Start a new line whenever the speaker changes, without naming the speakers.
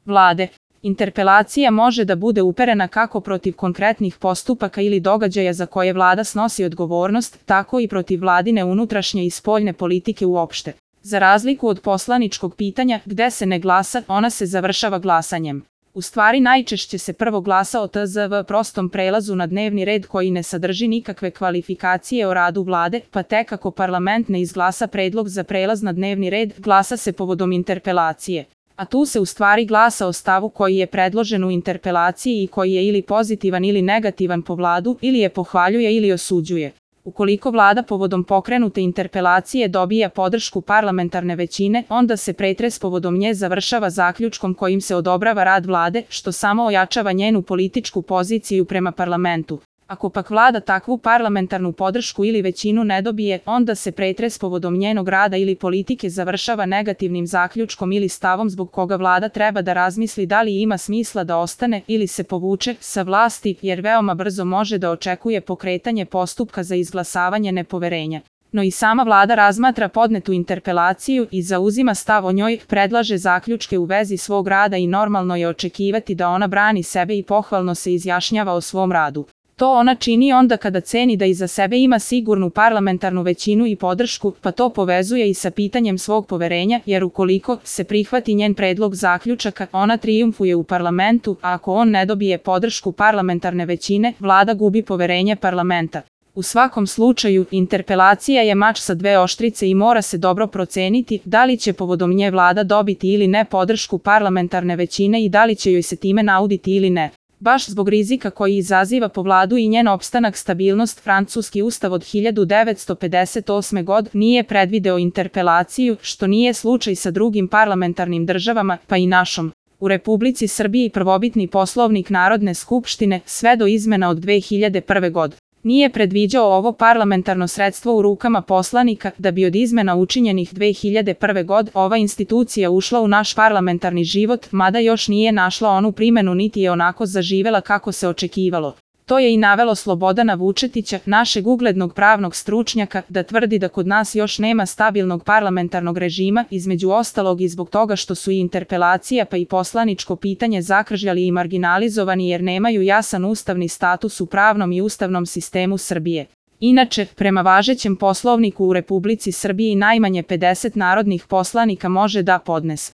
Vlade. Interpelacija može da bude uperena kako protiv konkretnih postupaka ili događaja za koje Vlada snosi odgovornost, tako i protiv vladine unutrašnje i spoljne politike uopšte. Za razliku od poslaničkog pitanja, gde se ne glasa, ona se završava glasanjem. U stvari najčešće se prvo glasa o TZV prostom prelazu na dnevni red koji ne sadrži nikakve kvalifikacije o radu Vlade, pa tek ako parlament ne izglasa predlog za prelaz na dnevni red, glasa se povodom interpelacije. A tu se u stvari glasa o stavu koji je predložen u interpelaciji i koji je ili pozitivan ili negativan po Vladu, ili je pohvaljuje ili osuđuje. Ukoliko Vlada povodom pokrenute interpelacije dobija podršku parlamentarne većine, onda se pretres povodom nje završava zaključkom kojim se odobrava rad Vlade, što samo ojačava njenu političku poziciju prema parlamentu. Ako pak Vlada takvu parlamentarnu podršku ili većinu ne dobije, onda se pretres povodom njenog rada ili politike završava negativnim zaključkom ili stavom zbog koga Vlada treba da razmisli da li ima smisla da ostane ili se povuče sa vlasti, jer veoma brzo može da očekuje pokretanje postupka za izglasavanje nepoverenja. No i sama Vlada razmatra podnetu interpelaciju i zauzima stav o njoj, predlaže zaključke u vezi svog rada i normalno je očekivati da ona brani sebe i pohvalno se izjašnjava o svom radu. To ona čini onda kada ceni da iza sebe ima sigurnu parlamentarnu većinu i podršku, pa to povezuje i sa pitanjem svog poverenja, jer ukoliko se prihvati njen predlog zaključaka, ona trijumfuje u parlamentu, a ako on ne dobije podršku parlamentarne većine, Vlada gubi poverenje parlamenta. U svakom slučaju, interpelacija je mač sa dve oštrice i mora se dobro proceniti da li će povodom nje Vlada dobiti ili ne podršku parlamentarne većine i da li će joj se time nauditi ili ne. Baš zbog rizika koji izaziva po Vladu i njen opstanak stabilnost, francuski ustav od 1958. godine nije predvideo interpelaciju, što nije slučaj sa drugim parlamentarnim državama, pa i našom. U Republici Srbiji prvobitni Poslovnik Narodne skupštine, sve do izmena od 2001. godine, nije predviđao ovo parlamentarno sredstvo u rukama poslanika, da bi od izmena učinjenih 2001. godine ova institucija ušla u naš parlamentarni život, mada još nije našla onu primenu niti je onako zaživela kako se očekivalo. To je i navelo Slobodana Vučetića, našeg uglednog pravnog stručnjaka, da tvrdi da kod nas još nema stabilnog parlamentarnog režima, između ostalog i zbog toga što su i interpelacija pa i poslaničko pitanje zakržljali i marginalizovani jer nemaju jasan ustavni status u pravnom i ustavnom sistemu Srbije. Inače, prema važećem Poslovniku u Republici Srbiji najmanje 50 narodnih poslanika može da podnese